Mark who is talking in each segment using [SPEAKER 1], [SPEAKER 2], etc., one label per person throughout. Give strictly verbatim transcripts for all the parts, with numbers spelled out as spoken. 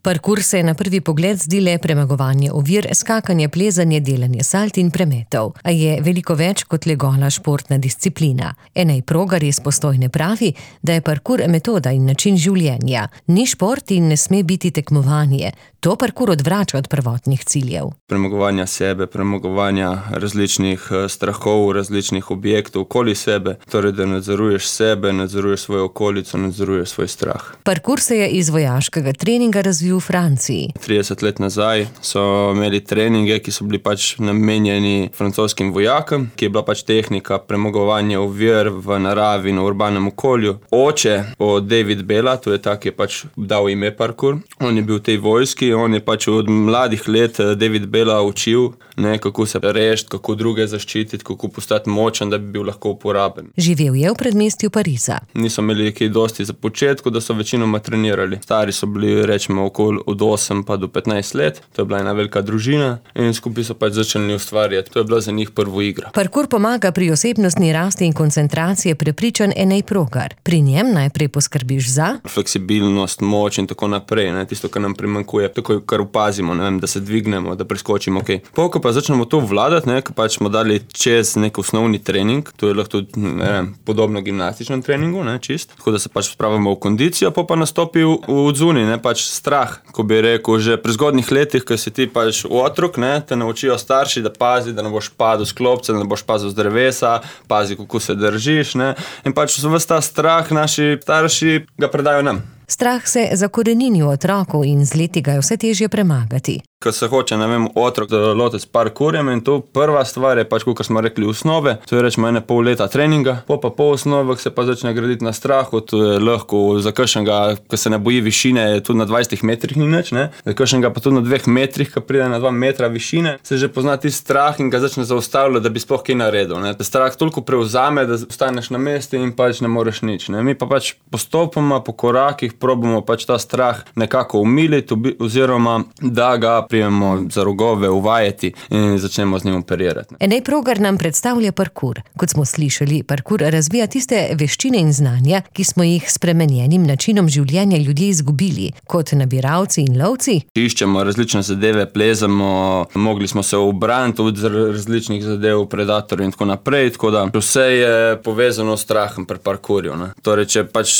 [SPEAKER 1] Parkour se na prvi pogled zdi le premagovanje ovir, skakanje, plezanje, delanje salt in premetov, a je veliko več kot le gola športna disciplina. Enej Progar iz Postojne pravi, da je parkour metoda in način življenja. Ni šport in ne sme biti tekmovanje. To parkour odvrača od prvotnih ciljev.
[SPEAKER 2] Premagovanja sebe, premagovanja različnih strahov, različnih objektov okoli sebe, torej da nadzoruješ sebe, nadzoruješ svojo okolico, nadzoruješ svoj strah.
[SPEAKER 1] Parkour se je iz vojaškega treninga razvil v Franciji.
[SPEAKER 2] trideset let nazaj so imeli treninge, ki so bili pač namenjeni francoskim vojakom, ki je bila pač tehnika premagovanja ovir v naravi in v urbanem okolju. Oče od David Bella, to je ta, ki je pač dal ime parkour, on je bil v tej vojski, on je pač od mladih let David Bella učil, ne, kako se rešiti, kako druge zaščititi, kako postati močen, da bi bil lahko uporaben.
[SPEAKER 1] Živel je v predmestju Pariza.
[SPEAKER 2] Niso imeli kaj dosti za početku, da so večinoma trenirali. Stari so bili, rečemo, okoli od osem pa do petnajst let. To je bila ena velika družina in skupaj so pač začeli ustvarjati. To je bila za njih prvo igra.
[SPEAKER 1] Parkour pomaga pri osebnostni rasti in koncentraciji, prepričan Enej Progar. Pri njem najprej poskrbiš za
[SPEAKER 2] fleksibilnost, moč in tako naprej, ne, tisto, kar nam primanjkuje, tako kar opazimo, ne vem, da se dvignemo, da preskočimo, okej. Okay. Ko pa začnemo to vladati, ne, ko pač smo dali čez nek osnovni trening, to je lahko tudi, ne vem, podobno gimnastičnem treningu, ne, čist, tako da se pač spravimo v kondicijo, pa pa nastopi v odzuni, ne, pač strah, ko bi rekel, že pri zgodnjih letih, ko si ti pač otrok, ne, te naučijo starši, da pazi, da ne boš padel s klopca, da ne boš pazil z drevesa, pazi, kako se držiš, ne, in pač ves ta strah naši starši ga predajo nam.
[SPEAKER 1] Strah se zakorenini v otroku in z leti ga je vse težje premagati.
[SPEAKER 2] Ko se hoče, ne vem, otrok lotiti s parkourjem in to prva stvar je pač, kot smo rekli, osnove, to je rečemo ene pol leta treninga, po pa po osnovah se pa začne graditi na strahu, to je lahko za kakšnega, ko se ne boji višine, tudi na dvajsetih metrih ni nič, ne, za kakšnega pa tudi na dveh metrih, ko pride na dva metra višine, se že pozna ti strah in ga začne zaustavljati, da bi sploh kaj naredil, ne. Strah toliko prevzame, da ostaneš na mestu in pač ne moreš nič, ne. Mi pa pač postopoma, po korakih probamo pač ta strah nekako umiliti oziroma da ga prijemo za rogove, uvajati in začnemo z njim operirati.
[SPEAKER 1] Enej Progar nam predstavlja parkour. Kot smo slišali, parkour razvija tiste veščine in znanja, ki smo jih s spremenjenim načinom življenja ljudje izgubili, kot nabiralci in lovci.
[SPEAKER 2] Iščemo različne zadeve, plezamo, mogli smo se ubraniti od različnih zadev, predatorjev in tako naprej, tako da vse je povezano s strahom pri parkourju, ne. Torej, če pač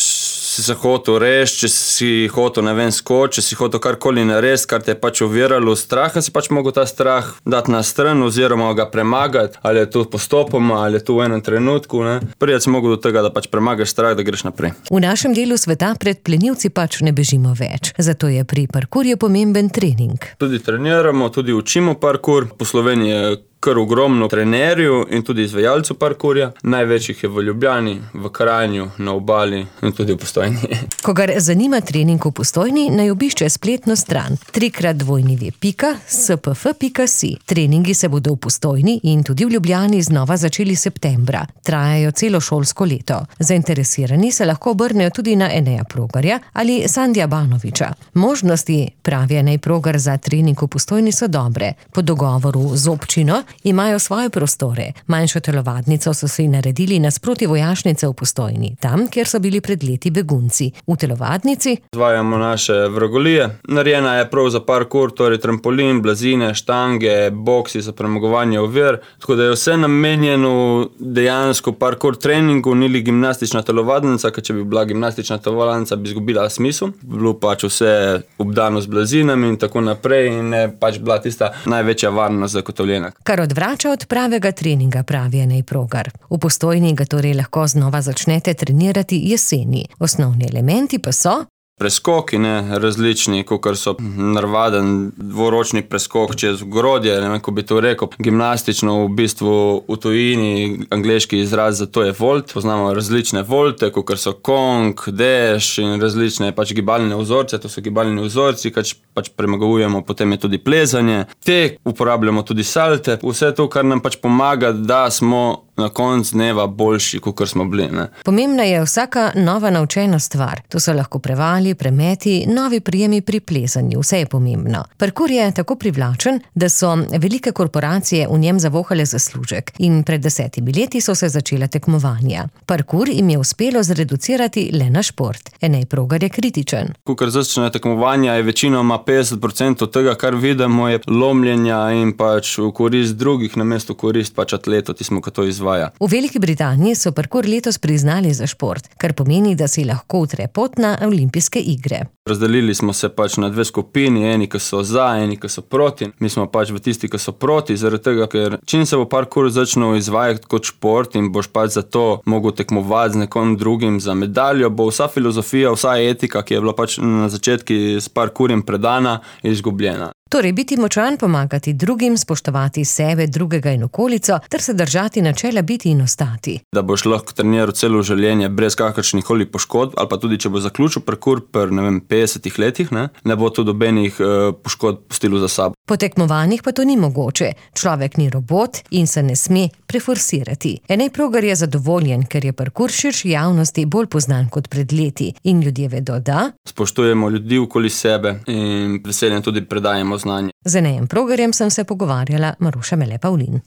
[SPEAKER 2] si se hotel reči, če si hotel, ne vem, skoči, če si hotel karkoli narediti, kar te je pač oviralo straha, si pač mogel ta strah dati na stran oziroma ga premagati, ali je to postopoma, ali je to v enem trenutku, ne. Priti si mogel do tega, da pač premagaš strah, da greš naprej.
[SPEAKER 1] V našem delu sveta pred plenilci pač ne bežimo več, zato je pri parkourju pomemben trening.
[SPEAKER 2] Tudi treniramo, tudi učimo parkour, po Sloveniji je kar ogromno trenerjev in tudi izvajalcev parkourja. Največjih je v Ljubljani, v Kranju, na Obali in tudi v Postojni.
[SPEAKER 1] Kogar zanima trening v Postojni, naj obišče spletno stran trikrat dvojni pika s p f pika si. Treningi se bodo v Postojni in tudi v Ljubljani znova začeli septembra. Trajajo celo šolsko leto. Zainteresirani se lahko obrnejo tudi na Eneja Progarja ali Sandija Banoviča. Možnosti, pravi Enej Progar, za trening v Postojni so dobre. Po dogovoru z občino imajo svoje prostore. Manjšo telovadnico so si naredili nasproti vojašnice v Postojni, tam, kjer so bili pred leti begunci. V telovadnici
[SPEAKER 2] izvajamo naše vragolije. Narejena je prav za parkour, torej trampolin, blazine, štange, boksi za premagovanje ovir, tako da je vse namenjeno dejansko parkour treningu, ni li gimnastična telovadnica, ker če bi bila gimnastična telovadnica, bi izgubila smisel. Bilo pač vse obdano z blazinami in tako naprej in je pač bila tista največja varnost zagotovljena.
[SPEAKER 1] Kar odvrača od pravega treninga, pravi Enej Progar. V Postojni ga torej lahko znova začnete trenirati jeseni. Osnovni elementi pa so
[SPEAKER 2] preskoki, ne, različni, kakor so navaden dvoročni preskok čez ogrodje, ne vem, ko bi to rekel. Gimnastično v bistvu v tujini, angleški izraz za to je volt. Poznamo različne volte, kakor so kong, deš in različne pač gibalne vzorce, to so gibalni vzorci, kač pač premagujemo, potem je tudi plezanje. Te uporabljamo tudi salte, vse to, kar nam pač pomaga, da smo na koncu dneva boljši, kot smo bili. Ne.
[SPEAKER 1] Pomembna je vsaka nova naučena stvar. To so lahko prevali, premeti, novi prijemi pri plezanju. Vse je pomembno. Parkour je tako privlačen, da so velike korporacije v njem zavohale zaslužek in pred desetimi leti so se začela tekmovanja. Parkour jim je uspelo zreducirati le na šport. Enej Progar je kritičen.
[SPEAKER 2] Kukor začne tekmovanja, je večinoma petdeset procentov tega, kar vidimo, je lomljenja in pač v korist drugih, namesto korist pač atletov, tismo, ki to izvaja.
[SPEAKER 1] V Veliki Britaniji so parkour letos priznali za šport, kar pomeni, da si lahko utre pot na olimpijske igre.
[SPEAKER 2] Razdelili smo se pač na dve skupini, eni, ki so za, eni, ki so proti. Mi smo pač v tisti, ki so proti, zaradi tega, ker čim se bo parkour začel izvajati kot šport in boš pač za to mogel tekmovati z nekom drugim za medaljo, bo vsa filozofija, vsa etika, ki je bila pač na začetku s parkourjem predana, izgubljena.
[SPEAKER 1] Torej, biti močan, pomagati drugim, spoštovati sebe, drugega in okolico, ter se držati načela biti in ostati.
[SPEAKER 2] Da boš lahko treniral celo življenje brez kakršnih koli poškodb, ali pa tudi, če bo zaključil parkour pri, ne vem, petdesetih letih, ne, ne bo tudi nobenih uh, poškodb pustilo za sabo.
[SPEAKER 1] Po tekmovanjih pa to ni mogoče. Človek ni robot in se ne sme preforsirati. Enej Progar je zadovoljen, ker je parkour širši javnosti bolj poznan kot pred leti in ljudje vedo, da
[SPEAKER 2] spoštujemo ljudi okoli sebe in veseljem tudi predajemo znanje.
[SPEAKER 1] Z Enejem Progarjem sem se pogovarjala Maruša Mele Pavlin.